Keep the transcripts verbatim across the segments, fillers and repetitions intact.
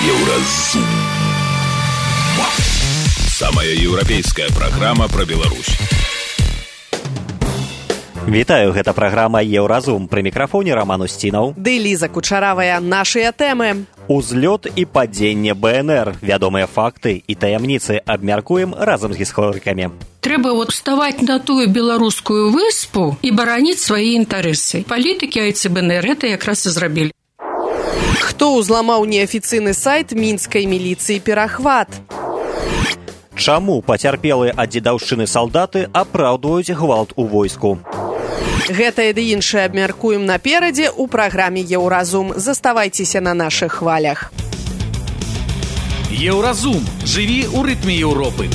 Еўразум. Самая еўрапейская праграма пра Беларусь. Вітаю, гэта праграма «Еўразум». Пры мікрафоне Роман Устінаў. Ды Ліза Кучаравая. Нашыя тэмы. Узлёт і падзенне БНР. Вядомыя факты і таямніцы абмяркуем разам з гісторыкамі. Трэба вот вставаць на тую беларускую выспу і бараніць свае інтарэсы. Палітыкі айцы БНР гэта якраз і зрабілі. Хто ўзламаў неафіцыйны сайт мінскай міліцыі «Перахват»? Чаму пацярпелыя ад дзедаўшчыны салдаты апраўдваюць гвалт у войску? Гэтае ды іншае абмяркуем наперадзе ў праграме «Еўразум». Заставайцеся на нашых хвалях. Еўразум. Жыві ў рытме Еўропы.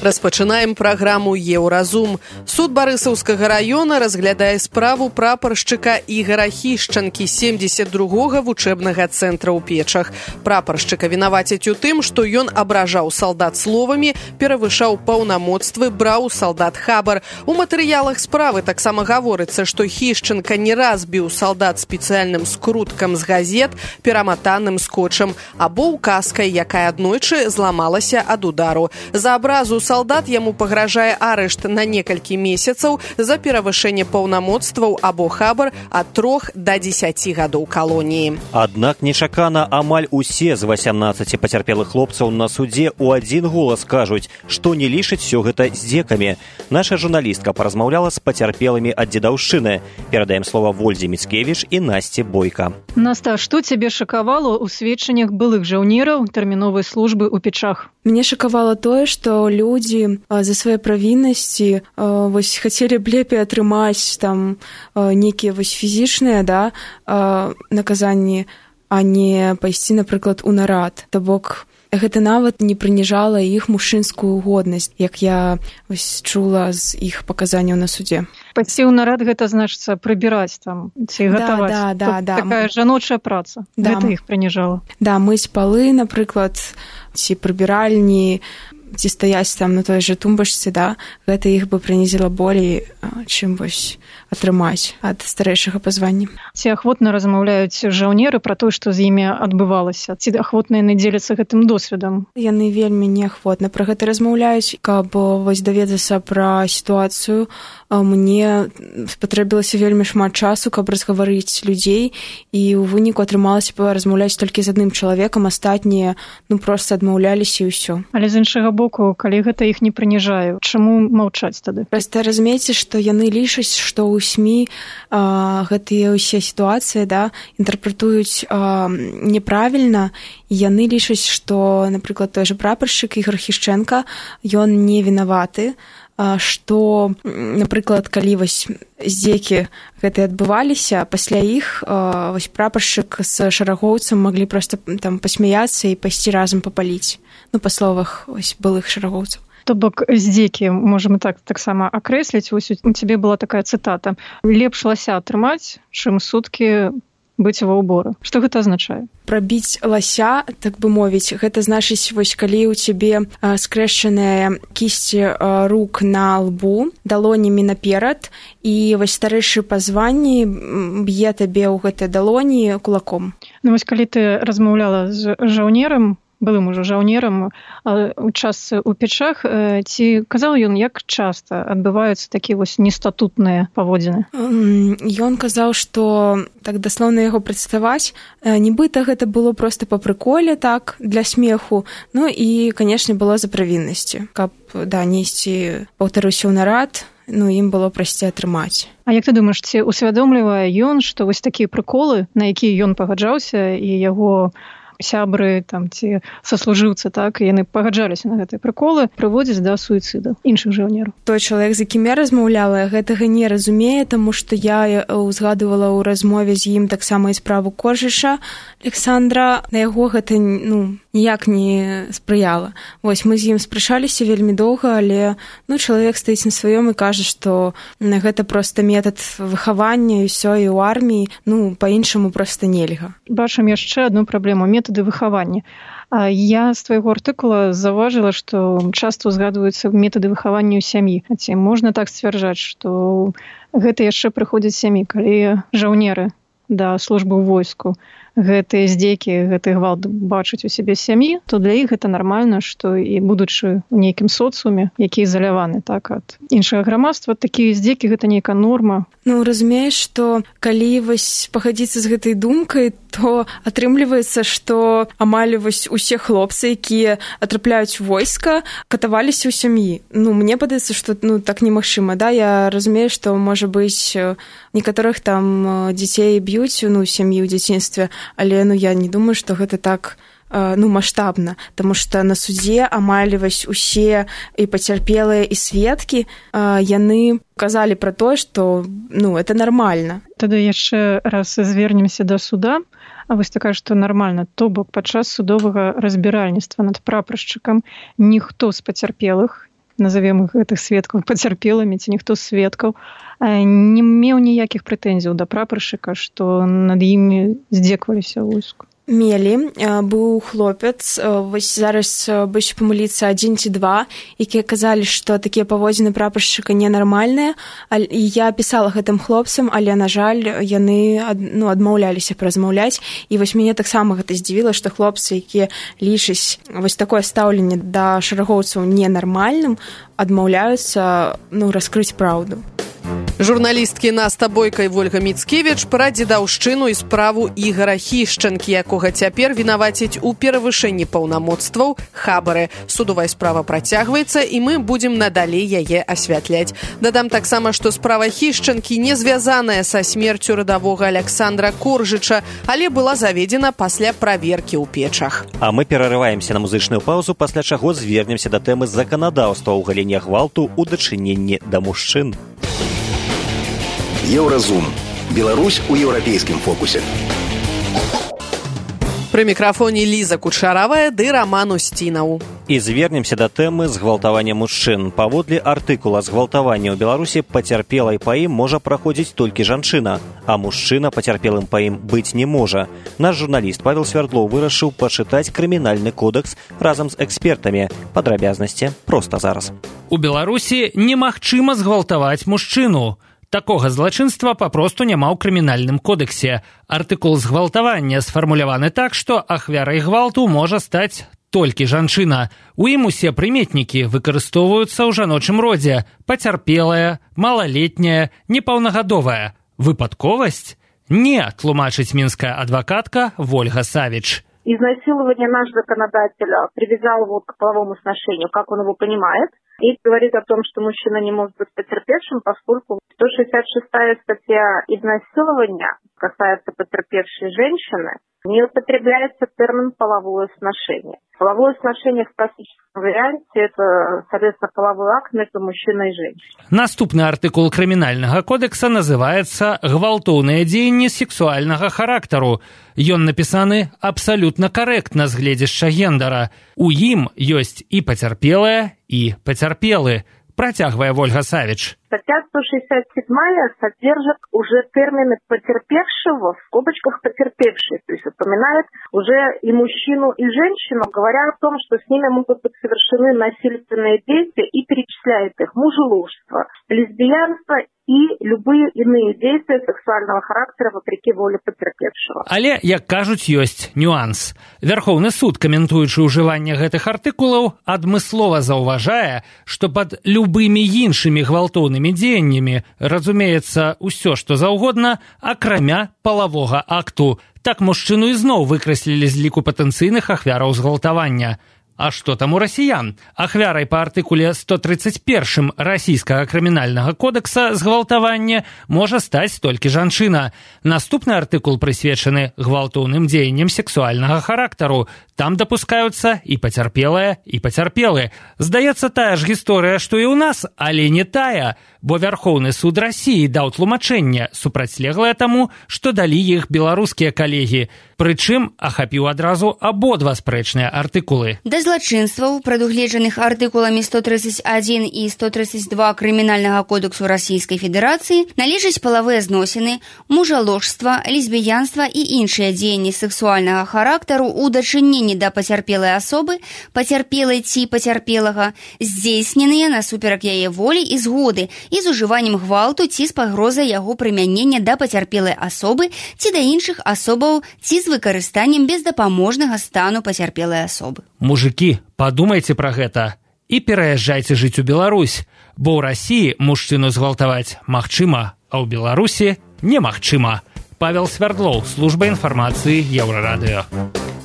Распачынаем праграму «Еўразум». Суд Барысаўскага раёна разглядае справу прапаршчыка Ігара Хішчанкі семдзесят другога вучэбнага цэнтра ў Печах. Прапаршчыка вінавацяць у тым, што ён абражаў салдат словамі, перавышаў паўнамоцтвы, браў у салдат хабар. У матэрыялах справы таксама гаворыцца, што Хішчанка не раз біў салдат спецыяльным скруткам з газет, пераматаным скотчам, або указкай, якая аднойчы зламалася ад удару. За абразу салдат яму пагражае арышт на некалькі месяцаў за перавышэнне паўнамоцтваў або хабар ад трох да дзесяці гадоў калоніі. Аднак нечакана амаль усе з васямнаццаці пацярпелых хлопцаў на судзе ў адзін голас кажуць, што не лічаць усё гэта здзекамі. Наша журналістка паразмаўляла з пацярпелымі ад дзедаўшчыны. Перадаем слова Вользе Міцкевіч і Насці Бойка. Наста, што цябе шакавала ў сведчаннях былых жаўнераў тэрміновай службы ў Печах? Мне шакавала тое, што людзі за свае правіннасці вось хацелі б лепей атрымаць там нейкія вось фізічныя, да, наказанні, а не пайсці, напрыклад, у нарад. То бок гэта нават не прыніжала іх мужчынскую годнасць, як я вось чула з іх паказанняў на судзе. Пайсці ў нарад гэта значыцца прыбіраць там ці гатаваць. Да, да, да, такая жаночая праца. Да. Гэта іх прыніжала. Да, мыць палы, напрыклад, ці прыбіральні, ці стаяць там на той жа тумбачцы, да, гэта іх бы прынізіла болей, чым вось атрымаць ад старэйшага па званні. Ці ахвотна размаўляюць жаўнеры пра тое, што з імі адбывалася? Ці ахвотна яны дзеляцца гэтым досведам? Яны вельмі неахвотна пра гэта размаўляюць. Каб вось даведацца пра сітуацыю, мне спатрэбілася вельмі шмат часу, каб разгаварыць людзей, і ў выніку атрымалася размаўляць толькі з адным чалавекам, астатнія ну проста адмаўляліся і ўсё. Але з іншага боку, калі гэта іх не прыніжае, чаму маўчаць тады? Проста разумееце, што яны лічаць, што ў СМІ а, гэтыя ўсе сітуацыі, да, інтэрпрэтуюць а, няправільна, і яны лічаць, што, напрыклад, той жа прапаршчык Ігар Хішчэнка, ён не вінаваты, што, напрыклад, калі вось здзекі гэтыя адбываліся, пасля іх вось прапаршчык з шарагоўцам маглі проста там пасмяяцца і пайсці разам папаліць, ну, па словах вось былых шарагоўцаў. То бок здзекі можам так таксама акрэсліць. Вось у цябе была такая цытата: лепш лася атрымаць, чым суткі быць ва ўборы. Што гэта азначае? Прабіць лася, так бы мовіць, гэта значыць, вось калі ў цябе скрэшчаныя кісці рук на лбу, далонямі наперад, і вось старэйшы па званні б'е табе ў гэтай далоні кулаком. Ну вось калі ты размаўляла з жаўнерам, былым ужо жаўнерам у частцы ў Печах, ці казаў ён, як часта адбываюцца такія вось нестатутныя паводзіны? Ён казаў, што так даслоўна яго прадставаць, нібыта гэта было проста па прыколе, так, для смеху, ну і, канешне, было за правіннасці, каб, да, несці, паўтаруся ў нарад, ну, ім было прасцей атрымаць. А як ты думаеш, ці усвядомлівае ён, што вось такія прыколы, на якія ён пагаджаўся, і яго сябры там ці саслужыўцы, так, і яны пагаджаліся на гэтыя прыколы, прыводзяць да суіцыду іншых жаўнераў? Той чалавек, з якім я размаўляла, гэтага не разумее, таму што я узгадывала ў размове з ім таксама і справу Коржыша Александра. На яго гэта, ну, ніяк не спрыяла. Вось мы з ім спрачаліся вельмі доўга, але ну чалавек стаіць на сваём і кажа, што гэта проста метад выхавання і ўсё, і ў арміі, ну, па-іншаму проста нельга. Бачым яшчэ адну праблему — метады выхавання. Я з твайго артыкула заўважыла, што часта ўзгадваюцца метады выхавання ў сям'і. Ці можна так сцвярджаць, што гэта яшчэ прыходзіць з сям'і, калі жаўнеры да службы ў войску гэтыя здзекі, гэты гвалт бачаць у сябе сям'і, то для іх гэта нармальна, што і будучы ў нейкім соцыуме, які ізаляваны так ад іншага грамадства, такія здзекі гэта нейкая норма. Ну, разумееш, што калі вось пагадзіцца з гэтай думкай, то атрымліваецца, што амаль вось усе хлопцы, якія атрапляюць войска, катаваліся ў сям'і. Ну, мне падаецца, што ну так немагчыма, да? Я разумею, што можа быць некаторых там дзяцей б'юць, ну, сям'і ў дзяцінстве, але ну я не думаю, што гэта так ну маштабна, таму што на судзе амаль вось усе і пацярпелыя і сведкі яны казалі пра тое, што ну это нармальна. Тады яшчэ раз звернемся да суда. А вось такая, што нармальна, то бок падчас судовага разбіральніцтва над прапаршчыкам ніхто з пацярпелых, назовем іх гэтых сведкаў пацярпелымі, ці ніхто з сведкаў не меў ніякіх прэтэнзіяў да прапаршчыка, што над імі здзекваліся ў войску. Мелі, быў хлопец, вось зараз боюся памыліцца адзін ці два, якія казалі, што такія паводзіны прапаршчыка ненармальныя, і я пісала гэтым хлопцам, але, на жаль, яны ну, адмаўляліся размаўляць, і вось мяне таксама гэта здзівіла, што хлопцы, якія лічаць вось такое стаўленне да шэрагоўцаў ненармальным, адмаўляюцца ну, раскрыць праўду. Журналісткі Наста Бойка і Вольга Міцкевіч пра дзедаўшчыну і справу Ігара Хішчанкі, якога цяпер вінавацяць у перавышэнні паўнамоцтваў хабары. Судовая справа працягваецца, і мы будзем надалей яе асвятляць. Дадам таксама, што справа Хішчанкі не звязаная са смерцю радавога Аляксандра Коржыча, але была заведзена пасля праверкі ў печах. А мы перарываемся на музычную паузу, пасля чаго звернемся да тэмы заканадаўства ў галіне гвалту ў дачыненні да мужчын. Еўразум. Беларусь у еўрапейскім фокусе. Пры мікрафоне Ліза Кучаравая ды Раман Усцінаў. І звернемся да тэмы згвалтавання мужчын. Паводле артыкула згвалтавання ў Беларусі пацярпелай па ім можа праходзіць толькі жанчына, а мужчына пацярпелым па ім быць не можа. Наш журналіст Павел Свярдлоў вырашыў пачытаць крымінальны кодекс разам з экспертамі. Падрабязнасці проста зараз. У Беларусі немагчыма згвалтаваць мужчыну. Такога злачынства папросту няма ў крымінальным кодексе. Артыкул згвалтавання сфармуляваны так, што ахвярай гвалту можа стаць толькі жанчына. У ім усе прыметнікі выкарыстоўваюцца ў жаночым родзе: пацярпелая, малалетняя, непаўнагадовая. Выпадковасць? Не, тлумачыць мінская адвакатка Вольга Савич. Изнасилование наш законодатель привязал его к половому сношению, как он его понимает, и говорит о том, что мужчина не может быть потерпевшим, поскольку сто шестьдесят шестая статья изнасилования касается потерпевшей женщины, не употребляется термин «половое сношение». Половое сношение в классическом варианте – это, соответственно, половой акт между мужчиной и женщиной. Наступны артыкул крымінальнага кодекса называецца «Гвалтоўныя дзеянні сексуальнага характару». Ён напісаны абсалютна карэктна з гледзяшча гендара. У ім ёсць і пацярпелая, і пацярпелы. Працягвае Вольга Савич. Статья сто шестьдесят седьмая содержит уже термины потерпевшего, в скобочках потерпевший, то есть упоминает уже и мужчину, и женщину, говоря о том, что с ними могут быть совершены насильственные действия, и перечисляет их: мужеложство, лесбиянство и любые иные действия сексуального характера вопреки воле потерпевшего. Але, як кажуць, ёсць нюанс. Вярхоўны суд, каментуючы ўжыванне гэтых артыкулаў, адмыслова заўважае, што пад любымі іншымі гвалтоўнымі дзеяннямі разумеецца ўсё, што заўгодна, акрамя палавога акту. Так мужчыну ізноў выкраслілі з ліку патэнцыйных ахвяраў згвалтавання. А што там у расіян? Ахвярай па артыкуле сто тридцать первым расійскага крымінальнага кодекса згвалтавання можа стаць толькі жанчына. Наступны артыкул прысвечаны гвалтоўным дзеянням сексуальнага характару. Там дапускаюцца і пацярпелая, і пацярпелы. Здаецца, тая ж гісторыя, што і ў нас, але не тая, бо Вярхоўны суд Расіі даў тлумачэнне, супрацьлеглае таму, што далі іх беларускія калегі. Прычым ахапіў адразу абодва спрэчныя артыкулы. Да злачынстваў, прадугледжаных артыкуламі сто тридцать один і сто тридцать два Крымінальнага кодексу Расійскай Федэрацыі, належаць палавыя зносіны, мужаложства, лесбіянства і іншыя дзеянні сэксуальнага характару ў дачыненні да пацярпелай асобы, пацярпелай ці пацярпелага, здзейсненыя насуперак яе волі і згоды і з ужываннем гвалту ці з пагрозай яго прымянення да пацярпелай асобы ці да іншых асобаў ці з выкарыстаннем бездапаможнага стану пацярпелай асобы. Мужыкі, падумайце пра гэта і пераязджайце жыць у Беларусь, бо ў Расіі мужчыну згвалтаваць магчыма, а ў Беларусі немагчыма. Павел Свярдлоў, служба інфармацыі Еўрарадыё.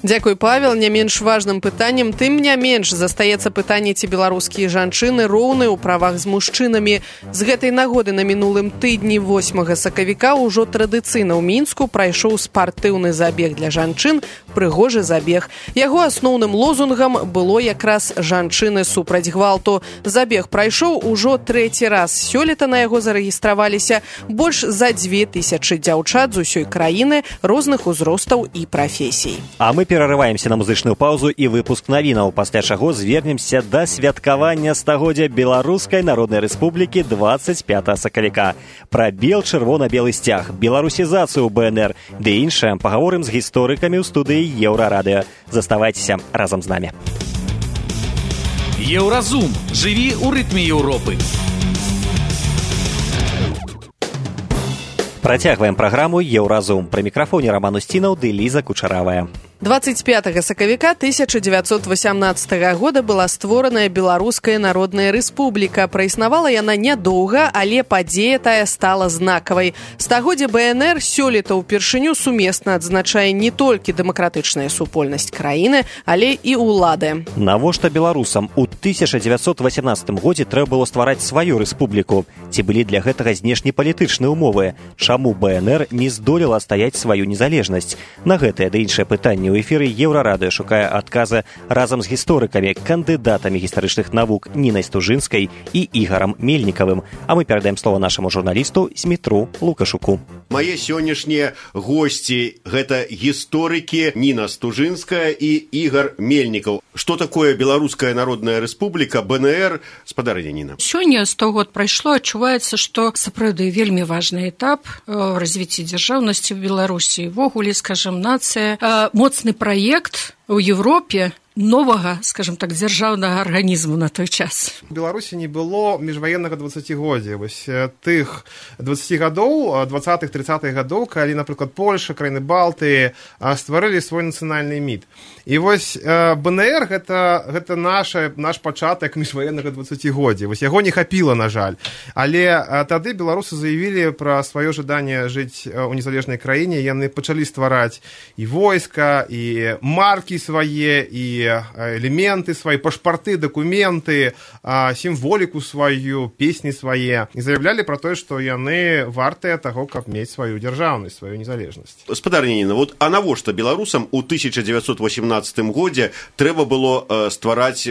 Дзякуй, Павел. Не менш важным пытаннем, тым не менш застаецца пытанне, ці беларускія жанчыны роўныя ў правах з мужчынамі. З гэтай нагоды на мінулым тыдні восьмага сакавіка ўжо традыцыйна ў Мінску прайшоў спартыўны забег для жанчын «Прыгожы забег». Яго асноўным лозунгам было якраз «Жанчыны супраць гвалту». Забег прайшоў ужо трэці раз. Сёлета на яго зарэгістраваліся больш за дзве тысячы дзяўчат з усёй краіны розных узростаў і прафесій. А мы перарываемся на музычную паузу і выпуск навінаў, пасля чаго звернемся да святкавання стагоддзя Беларускай Народнай Рэспублікі двадцать пятага сакавіка. Пра бел-чырвона-белы сцяг, беларусізацыю бэ эн эр, ды іншае пагаворым з гісторыкамі ў студыі Еўрарадыё. Заставайцеся разам з намі. Еўразум. Жыві ў рытме Еўропы. Працягваем праграму «Еўразум». Пры мікрафоне Роман Устінаў ды Ліза Кучаравая. двадцать пятага сакавіка тысяча дзевяцьсот васямнаццатага года была створаная Беларуская Народная Рэспубліка. Праіснавала яна нядоўга, але падзея тая стала знакавай. Стагоддзе бэ эн эр сёлета ўпершыню сумесна адзначае не толькі дэмакратычная супольнасць краіны, але і ўлады. Навошта беларусам у тысяча дзевяцьсот васямнаццатым годзе трэба было ствараць сваю рэспубліку? Ці былі для гэтага знешнепалітычныя ўмовы? Чаму бэ эн эр не здолела стаяць сваю незалежнасць? На гэтае ды іншае пытанне у эфіры Еўрарадыё шукае адказы разам з гісторыкамі, кандыдатамі гістарычных навук Нінай Стужынскай і Ігарам Мельнікавым. А мы перадаем слова нашаму журналісту Змітру Лукашуку. Мае сённяшнія госці – гэта гісторыкі Ніна Стужынская і Ігар Мельнікаў. Што такое Беларуская Народная Рэспубліка, бэ эн эр, спадарыня Ніна? Сёння сто год прайшло, адчуваецца, што сапраўды вельмі важны этап в развіцці дзяржаўнасці ў Беларусі. Ввогуле, скажем, нацыя, моцны праект у Европе новага, скажем так, дзяржаўнага арганізму на той час. У Беларусі не было міжваеннага дваццацігоддзя. Вось тых дваццаці гадоў, дваццатых трыццатых гадоў, калі, напрыклад, Польша, краіны Балтыі стварылі свой нацыянальны міт. І вось бэ эн эр гэта, гэта наша, наш пачатак міжваеннага дваццацігоддзя. Вось яго не хапіла, на жаль. Але тады беларусы заявілі пра сваё жаданне жыць у незалежнай краіне. Яны пачалі ствараць і войска, і маркі свае, і элементы свои, пашпарты, документы, сімволіку сваю, песні свае. І заявлялі пра тое, што яны вартыя таго, каб мець сваю дзяржаўнасць, сваю незалежнасць. Спадарня Ніна, вот а навошта беларусам у тысяча дзевяцьсот васямнаццатым годзе трэба было э, ствараць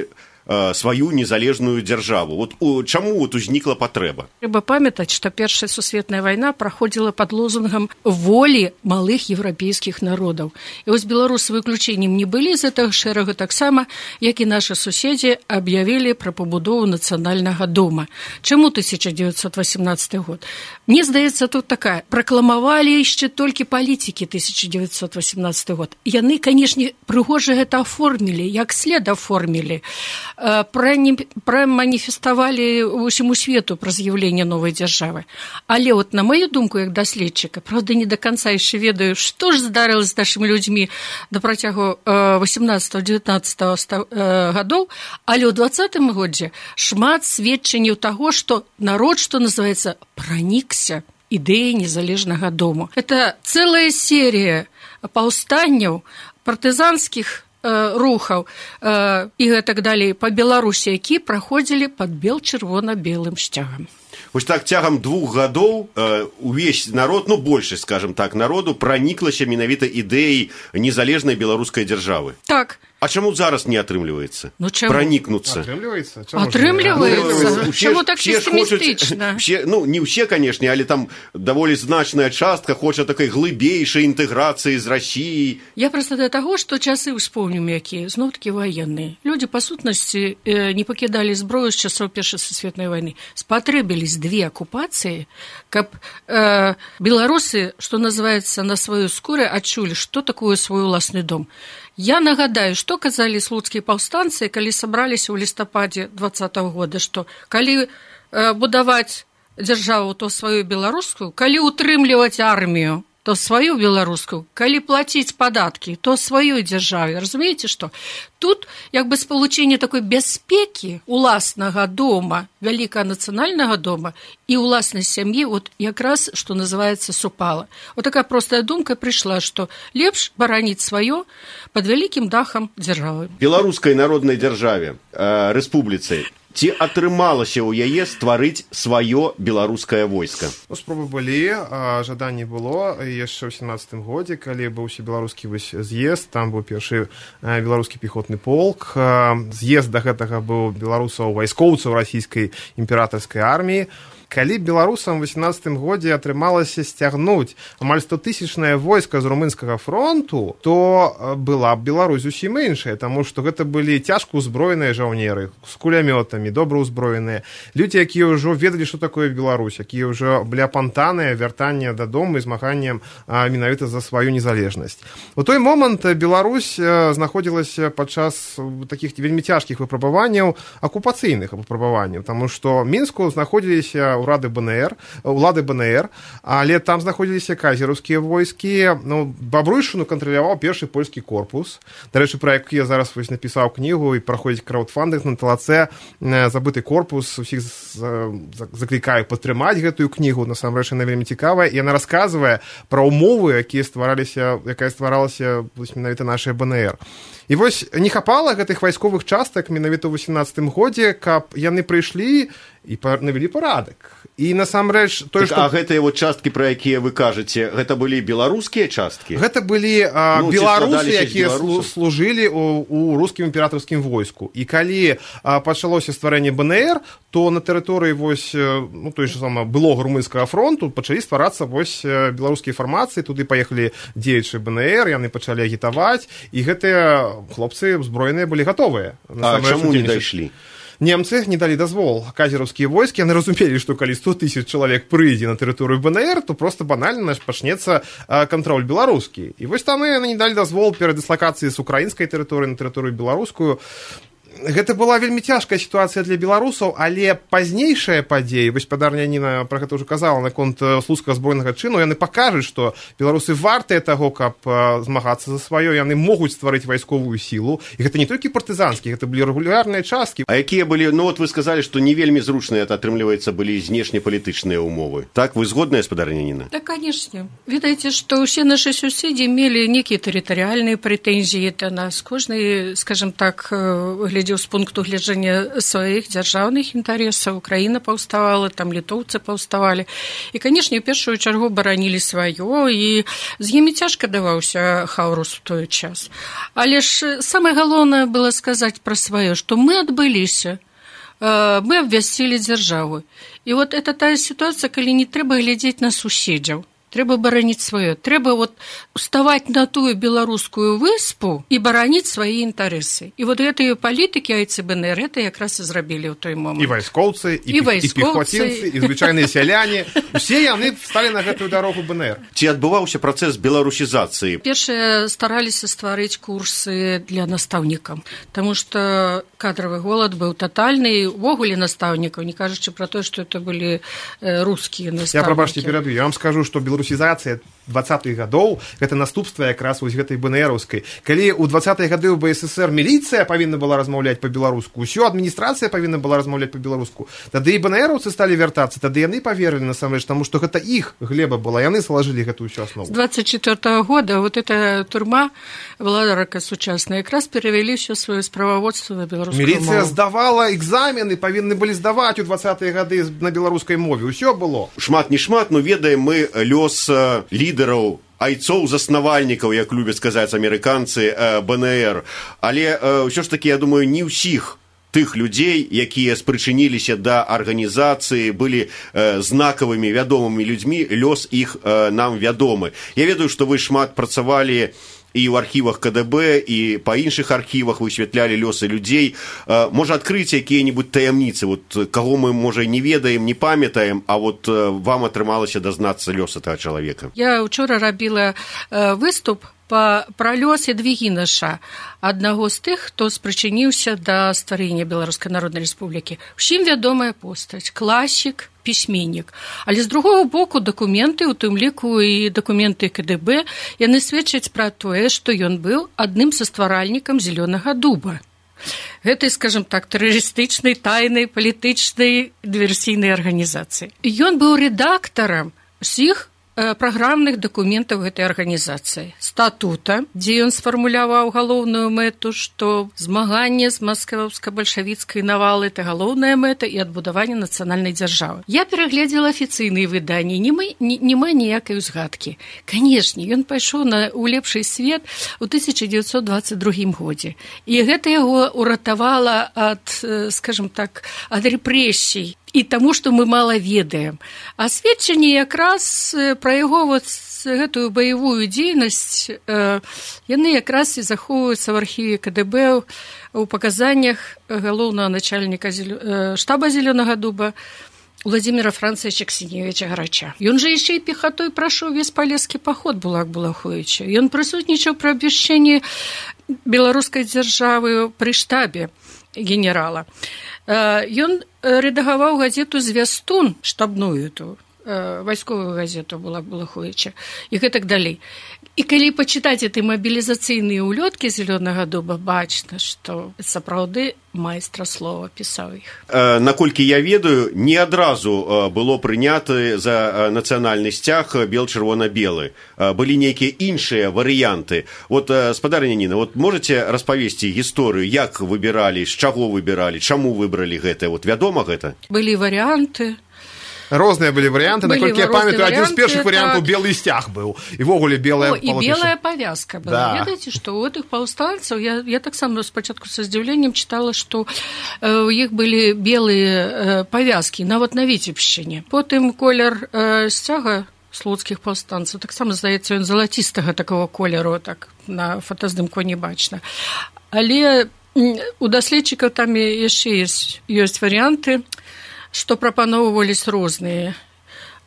сваю незалежную дзяржаву? Вот у, чаму вот узнікла патрэба? Трэба памятаць, што Першая сусветная вайна праходзіла пад лозунгам волі малых еўрапейскіх народаў. І вось беларусы выключэннем не былі з гэтага шэрага, таксама, як і нашы суседзі аб'явілі пра пабудову нацыянальнага дома. Чаму тысяча дзевяцьсот васямнаццаты год? Мне здаецца, тут такая. Пракламавалі яшчэ толькі палітыкі тысяча дзевяцьсот васямнаццаты год. Яны, канешне, прыгожа гэта аформілі, як след аформілі. Праманіфеставалі усяму свету пра з'яўленне новай дзяржавы. Але от на маю думку, як даследчыка, правда, не до конца яшчэ ведаю, што ж здарылася з нашымі людзьмі на працягу васямнаццатага-дзевятнаццатага гадоў, але ў дваццатым годзе шмат сведчанняў таго, што народ, што называецца, пранікся ідэяй незалежнага дому. Это цэлая серія паўстанняў, партызанскіх рухаў э, і гэтак далей па Беларусі, які праходзілі пад бел-чырвона-белым сцягам. Вось так цягам двух гадоў э, увесь народ, ну больше, скажем так, народу праніклася менавіта ідэяй незалежнай беларускай дзяржавы. Так. А чаму зараз не атрымліваецца? Ну, чаму? Пранікнуцца. Атрымліваецца? Атрымліваецца. Чаму так песімістычна? Ну, не ўсе, канешне, але там даволі значная частка хоча такой глыбейшай інтэграцыі з Расіяй. Я проста да таго, што часы успомнім якія, зноў-такі ваенныя. Людзі, па сутнасці, не пакідалі зброю з часоў Першай сусветнай вайны. Спатрэбілись две акупацыі, каб э, беларусы, што называецца, на сваёй скуры адчулі, што такое свой уласны дом. Я нагадаю, што казалі слуцкія паўстанцы, калі сабраліся ў лістападзе двадцатага года, што калі э, будаваць дзяржаву, то сваю беларускую, калі утрымліваць армію, то сваю беларускую, калі плаціць падаткі, то сваёй дзяржаве. Разумееце, што? Тут як бы спалучэнне такой бяспекі уласнага дома, вялікага нацыянальнага дома і уласнай сям'і, вот якраз, што называецца, супала. Вот такая простая думка прыйшла, што лепш бараніць сваё пад вялікім дахам дзяржавы. Беларускай народнай дзяржаве, э, рэспубліцы, ці атрымалася ў яе стварыць сваё беларускае войска? Ну, спробы былі, а жаданне было яшчэ ў сямнаццатым годзе, калі быў усебеларускі з'езд, там быў першы беларускі пехотны полк. З'езд да гэтага быў беларусаў вайскоўцаў расійскай імператарскай арміі. Калі беларусам у восемнадцатым годзе атрымалася сцягнуць амаль стотысячнае войска з румынскага фронту, то была б Беларусь зусім іншая, таму што гэта былі цяжка ўзброеныя жаўнеры з кулямётамі, добра ўзброеныя, людзі, якія ўжо ведалі, што такое Беларусь, якія ўжо былі апантаныя вяртанне дадому і змаганнем менавіта за сваю незалежнасць. У той момант Беларусь знаходзілася падчас такіх вельмі цяжкіх выпрабаванняў, акупацыйных выпрабаванняў, таму што Мінску знаходзіліся ўрады БНР, улады БНР, але там знаходзіліся казераўскія войскі. Ну, Бабруйшчыну кантраляваў першы польскі корпус. Дарэчы, пра які я зараз вось напісаў кнігу і праходзіць краўдфандынг на талаце «Забыты корпус». Усіх заклікаю падтрымаць гэтую кнігу. Насамрэч, яна вельмі цікавая. І яна расказвае пра ўмовы, якія ствараліся, якая стваралася менавіта нашая БНР. І вось не хапала гэтых вайсковых частак менавіта ў восемнаццатым годзе, каб яны прыйшлі і навялі парадак. І насамрэч... Той, так, што... А гэтыя вот часткі, пра якія вы кажаце, гэта былі беларускія часткі? Гэта былі а, ну, беларусы, якія служылі у, у рускім імператарскім войску. І калі а, пачалося стварэнне БНР, то на тэрыторыі вось, ну, той же сама былога румынскага фронту пачалі стварацца вось беларускія фармацыі, туды паехалі дзеячы БНР, яны пачалі агітаваць, і гэтыя хлопцы узброеныя былі гатовыя. А чаму не дайшлі? Немцы не далі дазвол. Казераўскія войскі, яны разумелі, што калі сто тысяч чалавек прыйдзе на тэрыторыю БНР, то проста банальна пачнецца кантроль беларускі. І вось там яны не далі дазвол перадыслакацыі з украінскай тэрыторыі на тэрыторыю беларускую. Гэта была вельмі цяжкая сітуацыя для беларусаў, але пазнейшая падзея, вось спадарня Ніна пра гэта ўжо казала наконт слуцкага збройнага чыну, яны пакажуць, што беларусы вартыя таго, каб змагацца за сваё, яны могуць стварыць вайсковую сілу, і гэта не толькі партызанскі, гэта былі рэгулярныя часткі. А якія былі, ну вот вы сказалі, што не вельмі зручныя, атрымліваецца, былі знешнепалітычныя ўмовы. Так, вы згодныя, спадарня Ніна? Так, канешне. Ведаеце, што ўсе нашы суседзі мелі нейкія тэрытарыяльныя прэтэнзіі да нас. Кожны, скажам так, глядзеў з пункту гледжання сваіх дзяржаўных інтарэсаў. Украіна паўставала, там літоўцы паўставалі. І, канешне, у першую чаргу баранілі сваё, і з імі цяжка даваўся хаурус у той час. Але ж самае галоўнае было сказаць пра сваё, што мы адбыліся, мы абвясцілі дзяржаву. І вот это тая сітуацыя, калі не трэба глядзець на суседзяў. Трэба бараніць сваё. Трэба вот уставаць на тую беларускую выспу і бараніць свае інтарэсы. І вот гэтыя палітыкі АйЦБНР это якраз і зрабілі ў той момант. І вайскоўцы, і, і, і пехоцінцы, і звычайныя сяляне. Усе яны сталі на гэтую дарогу БНР. Ці адбываўся працэс беларусізацыі? Першыя стараліся стварыць курсы для настаўнікаў, таму што кадравы голад быў татальны, увогуле настаўнікаў, не кажучы пра тое, што это былі рускія настаўнікі. Я, прабачце, пераб'ю. Я вам скажу, што беларусізацыя двадцатых гадоў гэта наступства якраз вось гэтай БНРаўскай. Калі ў двадцатыя гады ў БССР міліцыя павінна была размаўляць па-беларуску, усё адміністрацыя павінна была размаўляць па-беларуску, тады і БНРаўцы сталі вяртацца, тады яны паверылі насамрэч, таму што гэта іх глеба была, яны салажылі гэтую ўсю аснову. З двадцать четвёртого года вот эта турма владарка сучасная якраз перавялі ўсё сваё справаводства на беларускую мову. Міліцыя здавала экзамены, павінны былі здаваць у двадцатыя гады на беларускай мове, усё было. Шмат не шмат, но ведаем мы лёс лідэраў лідараў, айцоў заснавальнікаў, як любяць сказаць амерыканцы, БНР. Але ўсё ж такі, я думаю, не ўсіх тых людзей, якія спрычыніліся да арганізацыі, былі э, знакавымі, вядомымі людзьмі, лёс іх э, нам вядомы. Я ведаю, што вы шмат працавалі і ў архівах КДБ, і па іншых архівах высвятлялі лёсы людзей. Э, можа, адкрыць якія-небудзь таямніцы, вот, каго мы, можа, не ведаем, не памятаем, а вот э, вам атрымалася дазнацца лёса тага чалавека. Я учора рабіла э, выступ пра лёс Ядвігінаша, аднаго з тых, хто спрычыніўся да стварэння Беларускай Народнай Рэспублікі. Усім вядомая постаць, класік, пісьменнік. Але з другого боку дакументы, у тым ліку і дакументы КДБ, яны сведчаць пра тое, што ён быў адным са стваральнікам Зелёнага дуба. Гэтай, скажем так, тэрарыстычнай, тайнай, палітычнай, дыверсійнай арганізацыі. Ён быў рэдактарам усіх праграмных дакументаў гэтай арганізацыі, статута, дзе ён сфармуляваў галоўную мэту, што змаганне з маскоўска-бальшавіцкай навалы – это галоўная мэта і адбудаванне нацыянальнай дзяржавы. Я перагледзела афіцыйныя выданні, няма ніякай узгадкі. Канешне, ён пайшоў на, у лепшы свет у тысяча дзевяцьсот дваццаць другім годзе. І гэта яго уратавала ад, скажем так, ад рэпрэсій і таму, што мы мала ведаем. А сведчанні якраз пра яго вот гэтую баявую дзейнасць, э, яны якраз і захоўваюцца в архіве КДБ у паказаннях галоўнага начальніка э, штаба Зелёнага дуба Владимира Францевича Ксеневича Гарача. Ён жа яшчэ і пехатой прайшоў весь палескі паход Булак-Булаховіча. Ён прысутнічаў пры абвяшчэнні беларускай дзяржавы пры штабе генерала. Ён рэдагаваў газету «Звястун», штабную ту, вайсковую газету Булак-Булаховіча, і гэтак далей. І калі пачытаць эти мабілізацыйныя ўлёткі Зелёнага дуба, бачна, што сапраўды майстра слова пісаў іх. Наколькі я ведаю, не адразу было прынята за нацыянальны сцяг бел-чырвона-белы. Былі нейкія іншыя варыянты. Вот, спадарня Ніна, вот можаце распавесці гісторыю, як выбіралі, з чаго выбіралі, чаму выбралі гэта? Вот вядома гэта? Былі варыянты. Розныя былі варыянты, наколькі я памятаю, адзін з першых варыянтаў белы сцяг быў. І ввогуле белая палатніша. І белая павязка была. Да. Ведаеце, што ў гэтых паўстанцаў, я, я таксама спачатку са здзіўленнем чытала, што э, у іх былі белыя э, павязкі, нават на Віцебшчыне. Потым колер э, сцяга слуцкіх паўстанцаў, таксама, здаецца, ён залацістага такого колеру, так на фотаздымку не бачна. Але у даследчыкаў там яшчэ ёсць, ёсць варыянты, што прапаноўвались розныя.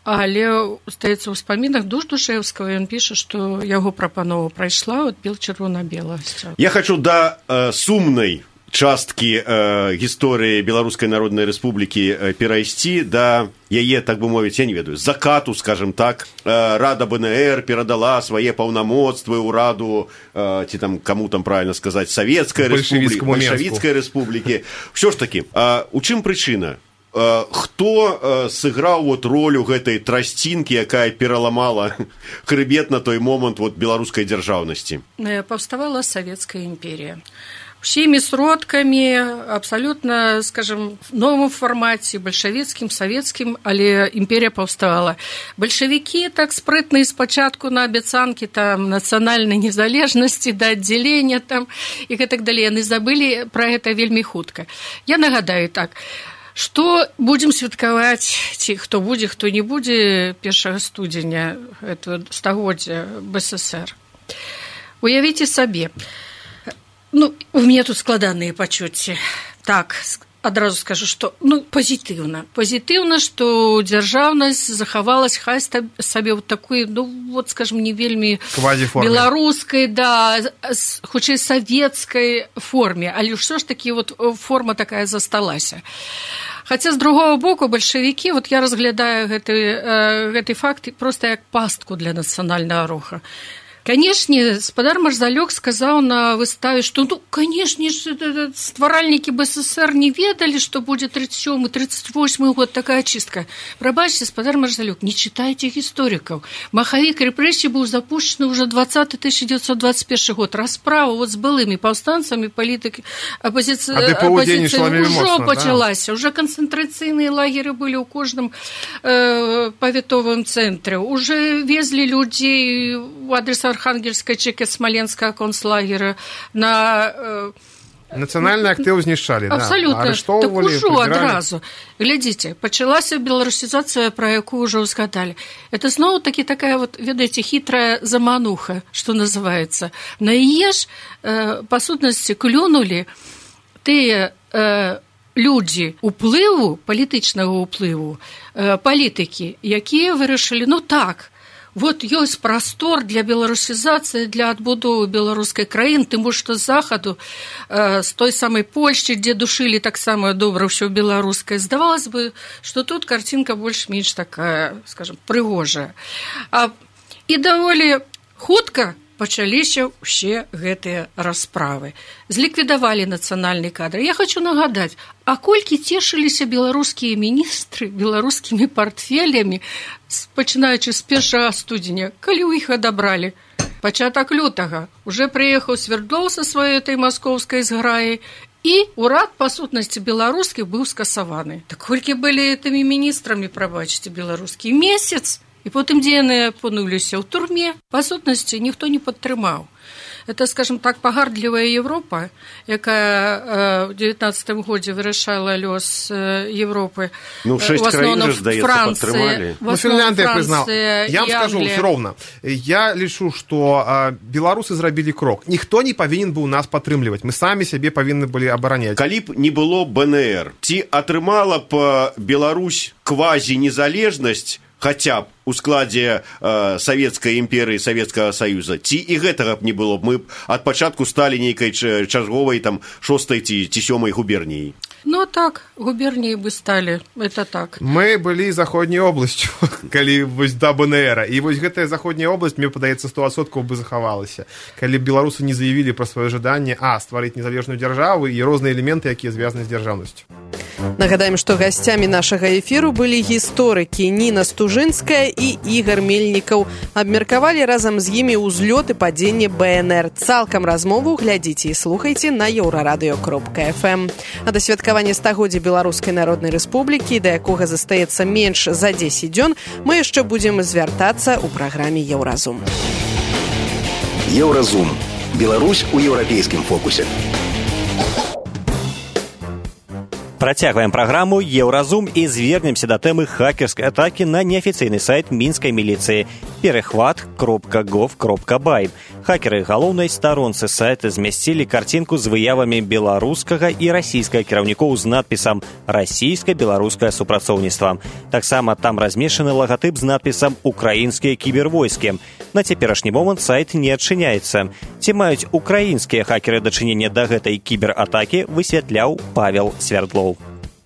Але, здаецца, у ўспамінах Душ-Душэўскага ён піша, што яго прапанова прайшла от бел-чырвона-белага сцяга. Я хочу да э, сумнай часткі э, гісторыі Беларускай Народнай Рэспублікі э, перайсці да яе, так бы мовіць, я не ведаю, закату, скажем так. Э, Рада БНР перадала свае паўнамоцтвы ўраду, э, ці там, каму там правильно сказаць, Савецкай Рэспублікі, Бальшавіцкай Рэспублікі. Ўсё ж такі, э, у чым прычына? Хто сыграў вот ролю гэтай трасцінкі, якая пераламала хрыбет на той момант вот беларускай дзяржаўнасці? Паўставала Савецкая імперія. Усімі сродкамі, абсалютна, скажем, в новым фармаце, бальшавіцкім, савецкім, але імперія паўставала. Бальшавікі так спрытна і спачатку на абяцанкі там нацыянальнай незалежнасці, да аддзялення там і гэтак далей. Яны забылі пра гэта вельмі хутка. Я нагадаю так, што будзем святкаваць, ці хто будзе, хто не будзе першага студзеня этого стагоддзя БССР. Уявіце сабе, ну, у мяне тут складаныя пачуцці. Так, адразу скажу, што, ну, пазітыўна. Пазітыўна, што дзяржаўнасць захавалась хай сабе вот такой, ну, вот, скажем, не вельмі беларускай, да, хутчэй савецкай форме, але ўсё ж такі вот форма такая засталася. Хаця, з другого боку, бальшавікі, вот я разглядаю гэты, гэты факт проста як пастку для нацыянальнага руха. Канешне, спадар Марзалёк сказаў на выставе, што, ну, канешне, стваральнікі БССР не ведалі, што будзе тридцать сёмы тридцать восьмы год такая чистка. Прабачце, спадар Марзалёк, не читайте гісторыкаў. Махавік рэпрэсій быў запущены ўжо двадцаты тысяча девятьсот двадцать первый год. Расправа вот з былымі паўстанцамі, палітыкі, апозіцыя ўжо пачалася. Уже канцэнтрацыйныя лагеры былі ў кожным э, павятовым цэнтры. Уже везлі людзей у адрес Архангельскай, Чеки, Смоленскага концлагера на... Э, Нацыянальны актыў знішчалі, да. Абсолютно. Так ужо адразу. Глядзіце, пачалася беларусізацыя, пра якую ўжо ўзгадалі. Это зноў таки такая вот, ведаеце, хитрая замануха, што называецца. На яе ж, э, па сутнасці, клюнулі тыя э, людзі уплыву, палітычнага уплыву, э, палітыкі, якія вырашылі, ну так, вот ёсць прастор для беларусізацыі, для адбудовы беларускай краіны, тым больш што з захаду, э, з той самай Польшчы, дзе душылі таксама добра ўсё беларускае, здавалось бы, што тут карцінка больш-менш такая, скажем, прыгожая. А, і даволі хутка пачаліся ўсе гэтыя расправы. Зліквідавалі нацыянальны кадр. Я хочу нагадаць, а колькі цешыліся беларускія міністры беларускімі партфелямі, пачынаючы з першага студзеня, калі ў іх адабралі. Пачатак лютага. Уже прыехаў Свердлоў са сваёй этой маскоўскай зграі, і урад, па сутнасці, беларускі быў скасаваны. Так колькі былі тымі міністрамі, прабачце, беларускі месяц, і потым, дзе яны апынуліся ў турме, па сутнасці, ніхто не падтрымаў. Это, скажем так, погардлівая Европа, якая в девятнадцатом годзе вырашала лёс Европы. Ну, шесть краін же, здаецца, падтрымалі. Ну, Фінляндия признала. Я вам скажу, все ровно. Я лічу, что а, беларусы зрабілі крок. Ніхто не павінен быў нас падтрымліваць. Мы самі сябе павінны былі абараняць. Калі б не было БНР, ці атрымала б Беларусь квазі-незалежнасць, хотя б у складзе э, Савецкай імперыі, Савецкага Саюза, ці і гэтага б не было б, мы б ад пачатку сталі нейкай чарговай там шостай ці, ці сёмай губерніі. Ну так, губернии бы стали, это так. Мы были заходняй областью, калі вось да БНР, і вось гэтая заходняя область, мне падаецца, сто адсоткаў бы захавалася, калі беларусы не заявілі пра сваё жаданне, а, стварыць незалежную дзяржаву і розныя элементы, якія звязаны з дзяржаўнасцю. Нагадаем, што гасцямі нашага эфіру былі гісторыкі Ніна Стужынская і Ігор Мельнікаў. Абмеркавалі разам з імі ўзлёт і падзенне БНР. Цалкам размову глядзіце і слухайце на еўрарадыё кропка эф эм. А да святкавання стагоддзя Беларускай Народнай Рэспублікі, да якога застаецца менш за дзесяць дзён, мы яшчэ будзем звяртацца ў праграме Еўразум. Еўразум. Беларусь у еўрапейскім фокусе. Працягваем праграму «Еўразум» і звернемся да тэмы хакерскай атакі на неафіцыйны сайт мінскай міліцыі перехват кропка гов кропка бай. Хакеры галоўнай старонцы сайта змясцілі карцінку з выявамі беларускага і расійскага кіраўнікоў з надпісам «Расійска-беларускае супрацоўніцтва». Таксама там размешчаны лагатып з надпісам «Украінскія кібервойскі». На цяперашні момант сайт не адчыняецца. Ці маюць украінскія хакеры дачыненне да гэтай кібератакі, высвятляў Павел Свердлоў.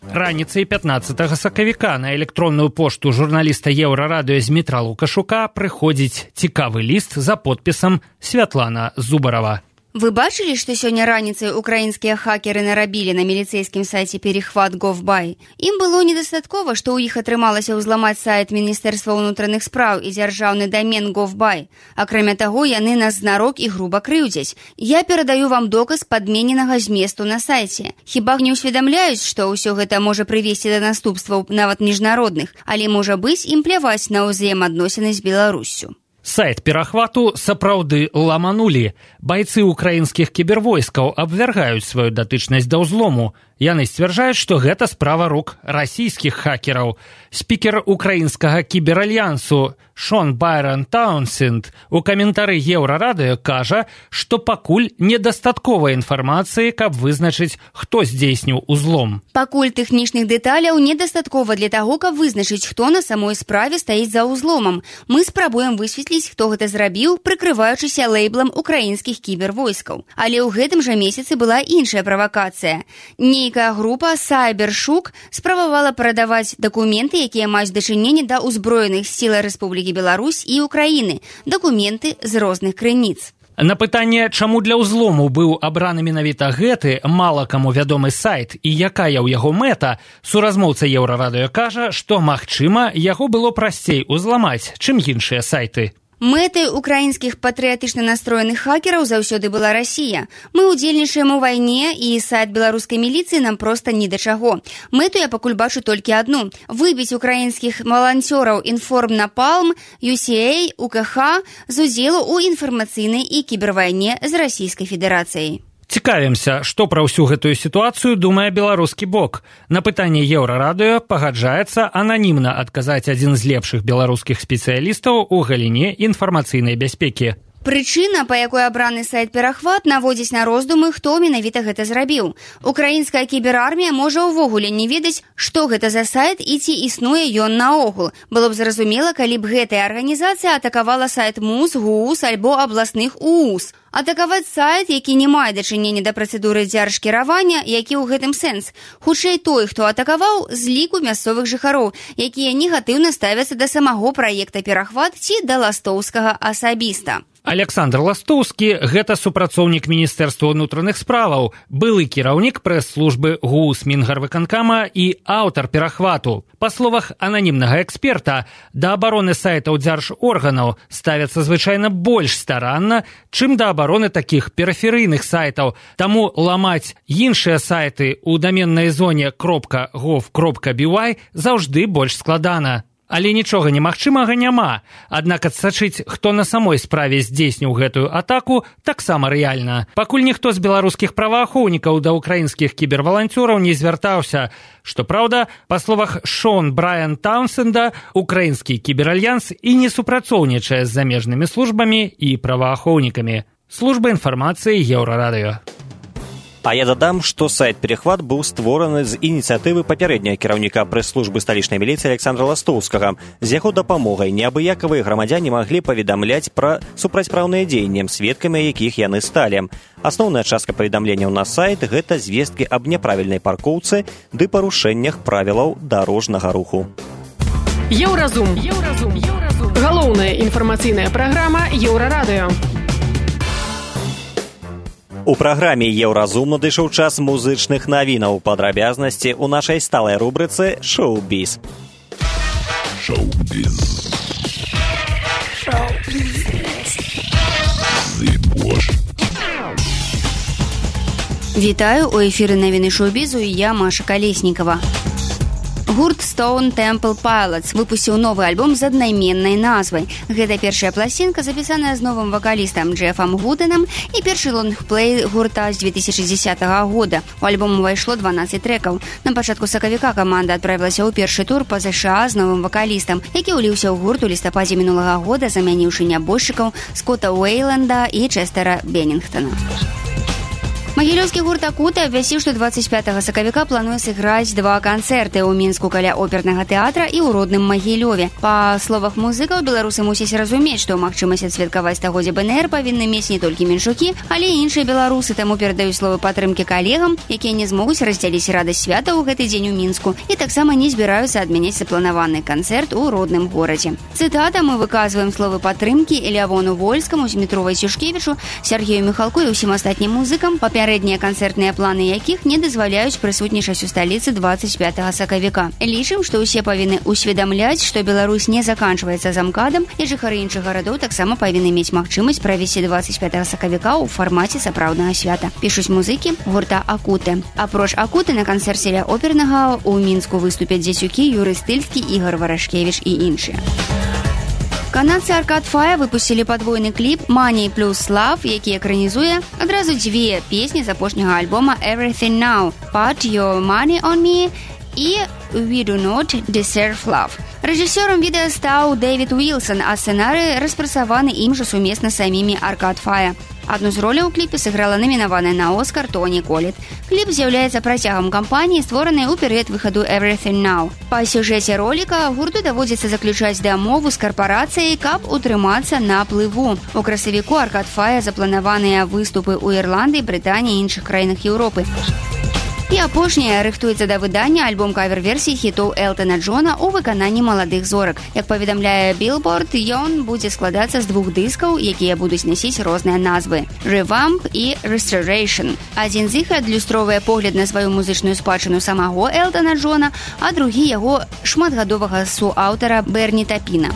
Раніцай пятнаццатага сакавіка на электронную пошту журналіста Еўрарадыё Змітра Лукашука прыходзіць цікавы ліст за подпісам Святлана Зубарова. Вы бачылі, што сёння раніцай украінскія хакеры нарабілі на міліцэйскім сайце перехват кропка гов кропка бай? Ім было недастаткова, што ў іх атрымалася ўзламаць сайт Міністэрства ўнутраных спраў і дзяржаўны дамен кропка гов кропка бай. Акрамя таго, яны нас знарок і груба крыўдзяць. Я перадаю вам доказ падмененага зместу на сайце. Хіба не ўсведамляюць, што ўсё гэта можа прывесці да наступстваў нават міжнародных, але можа быць ім пляваць на ўзаемадносіны з Беларуссю. Сайт перахвату сапраўды ламанулі. Байцы украінскіх кібервойскаў абвяргаюць сваю датычнасць да ўзлому. Яны сцвярджаюць, што гэта справа рук расійскіх хакераў. Спікер украінскага кіберальянсу Шон Байрон Таунсенд у каментары Еўрарадыё кажа, што пакуль недастаткова інфармацыі, каб вызначыць, хто здзейсніў узлом. Пакуль тэхнічных дэталяў недастаткова для таго, каб вызначыць, хто на самой справе стаіць за ўзломам. Мы спрабуем высветліць, хто гэта зрабіў, прыкрываючыся лейблам украінскіх кібервойскаў. Але ў гэтым жа месяцы была іншая правакацыя. Не нейкая група Сайбершук спрабавала прадаваць дакументы, якія маюць дачыненне да ўзброеных сіл Рэспублікі Беларусь і Украіны, дакументы з розных крыніц. На пытанне, чаму для ўзлому быў абраны менавіта гэты мала каму вядомы сайт і якая ў яго мэта, суразмоўца Еўрарадыё кажа, што, магчыма, яго было прасцей узламаць, чым іншыя сайты. Мэтай украінскіх патрыятычна настроеных хакераў заўсёды была Расія. Мы ўдзельнічаем у вайне, і сайт беларускай міліцыі нам проста ні да чаго. Мэту я пакуль бачу толькі адну – выбіць украінскіх валанцёраў Інформнапалм, ю си эй, у ка ха з удзелу ў інфармацыйнай і кібервайне з Расійскай Федэрацыяй. Цікавімся, што пра ўсю гэтую сітуацыю думае беларускі бок. На пытанне Еўрарадыё пагаджаецца ананімна адказаць адзін з лепшых беларускіх спецыялістаў у галіне інфармацыйнай бяспекі. Прычына, па якой абраны сайт «Перахват», наводзіць на роздумы, хто менавіта гэта зрабіў. Украінская кіберармія можа ўвогуле не ведаць, што гэта за сайт і ці існуе ён наогул. Было б зразумела, калі б гэтая арганізацыя атакавала сайт МУС, ГУС альбо абласных УУС. Атакаваць сайт, які не мае дачынення да працэдуры дзяржкіравання, які ў гэтым сэнс. Хутчэй той, хто атакаваў, з ліку мясцовых жыхароў, якія негатыўна ставяцца да самого праекта «Перахват» ці да Ластоўскага асабіста. Александр Ластоўскі – гэта супрацоўнік Міністэрства ўнутраных справаў, былы кіраўнік прэс-службы ГУС Мінгарвыканкама і аўтар «Перахвату». Па словах ананімнага эксперта, да абароны сайтаў дзяржорганаў ставяцца звычайна больш старанна, чым да абароны такіх перыферыйных сайтаў. Таму ламаць іншыя сайты ў даменнай зоне .gov.by заўжды больш складана. Але нічога немагчымага няма. Аднак адсачыць, хто на самой справе здзейсніў гэтую атаку, таксама рэальна. Пакуль ніхто з беларускіх праваахоўнікаў да ўкраінскіх кіберваланцёраў не звяртаўся. Што праўда, па словах Шон Брайан Таунсенда, украінскі кіберальянс і не супрацоўнічае з замежнымі службамі і праваахоўнікамі. Служба інфармацыі Еўрарадыё. А я дадам, што сайт «Перахват» быў створаны з ініцыятывы папярэдняга кіраўніка прэс-службы сталічнай міліцыі Александра Ластоўскага. З яго дапамогай неабыякавыя грамадзяне маглі паведамляць пра супрацьпраўныя дзеянні, сведкамі якіх яны сталі. Асноўная частка паведамленняў на сайт – гэта звесткі аб няправільнай паркоўцы ды парушэннях правілаў дарожнага руху. Еўразум. Еўразум. Еўразум. Галоўная інфармацыйная праграма Еўрарадыё. У праграме «Еўразум» надышоў час музычных навінаў. Падрабязнасці ў нашай сталай рубрыцы «Шоу-біз». Шоу-біз. Шоу-біз. Вітаю, у эфіры навіны шоу-бізу і я, Маша Калеснікава. Гурт Stone Temple Pilots выпусціў новы альбом з аднайменнай назвай. Гэта першая пласцінка, запісаная з новым вакалістам Джефам Гуденам і першы лонгплей гурта з две тысячи дзесятага года. У альбом увайшло дванаццаць трэкаў. На пачатку сакавіка каманда адправілася ў першы тур па ЗША з новым вакалістам, які ўліўся ў гурт у лістападзе мінулага года, замяніўшы нябожчыкаў Скотта Уэйланда і Чэстера Беннінгтона. Магілёўскі гурт «Акута» абвясціў, што дваццаць пятага сакавіка плануе сыграць два канцэрты ў Мінску каля опернага тэатра і ў родным Магілёве. Па словах музыкаў, беларусы мусяць разумець, што магчымасць адсвяткаваць стагоддзе БНР павінны мець не толькі меншукі, але і іншыя беларусы, таму перадаюць словы падтрымкі калегам, якія не змогуць раздзяліць радасць свята ў гэты дзень у Мінску і таксама не збіраюцца адмяняць запланаваны канцэрт у родным горадзе. Цытата: «Мы выказваем словы падтрымкі Лявону Вольскаму, Змітровай Сюшкевічу, Сергею Міхалку і ўсім астатнім музыкам, папярэднія канцэртныя планы якіх не дазваляюць прысутнічаць у сталіцы дваццаць пятага сакавіка. Лічым, што ўсе павінны усведамляць, што Беларусь не заканчваецца замкадам, і жыхары іншых гарадоў таксама павінны мець магчымасць правесці дваццаць пятага сакавіка ў фармаце сапраўднага свята», пішуць музыкі гурта «Акуты». Апроч «Акуты» на канцэрце ля опернага ў Мінску выступяць Дзецюкі, Юрый Стыльскі, Ігор Варашкевіч і іншыя. Канадцы Arcade Fire выпусцілі падвойны кліп «Money plus Love», які экранізуе адразу дзве песні з апошняга альбома «Everything Now» «Put Your Money on Me» і «We Do Not Deserve Love». Рэжысёрам відэа стаў Дэвід Уілсон, а сцэнарый распрацаваны ім жа сумесна з самімі Arcade Fire. Адну з роляў у кліпе сыграла намінаваная на Оскар Тоні Коллет. Кліп з'яўляецца працягам кампаніі, створанай у перыяд выхаду «Everything Now». Па сюжэце роліка гурту даводзіцца заключаць дамову з карпарацыяй, каб утрымацца на плыву. У красавіку Arcade Fire запланаваныя выступы ў Ірландыі, Брытаніі і іншых краінах Еўропы. І апошняе рыхтуецца да выдання альбом кавер-версій хітоў Элтона Джона ў выкананні маладых зорак. Як паведамляе Billboard, ён будзе складацца з двух дыскаў, якія будуць насіць розныя назвы – Revamp і Restoration. Адзін з іх адлюстроўвае погляд на сваю музычную спадчыну самого Элтона Джона, а другі яго шматгадовага суаўтара Берні Тапіна.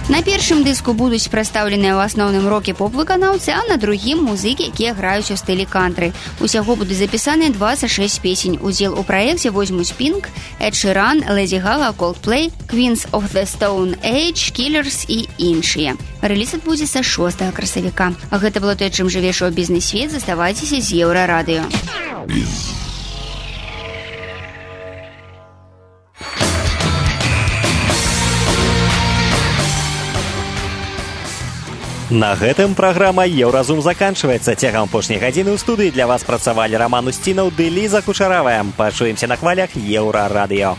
На першым дыску будуць прадстаўленыя ў асноўным рок-і-поп-выканаўцы, а на другім музыкі, якія граюць у стылі кантры. Усяго будуць запісаны дваццаць шэсць песень. Удзел у праекце возьмуць Pink, Эд Ширан, Лэдзі Гага, Coldplay, Queens of the Stone Age, Killers і іншыя. Рэліз адбудзецца шостага красавіка. Гэта было тое, чым жыве шоу-бізнес-свет. Заставайцеся з Еўрарадыё. На гэтым праграма «Еўразум» заканчваецца. Цягам апошняй гадзіны ў студыі для вас працавалі Раман Усцінаў ды Ліза Кучаравая. Пачуемся на хвалях Еўрарадыё.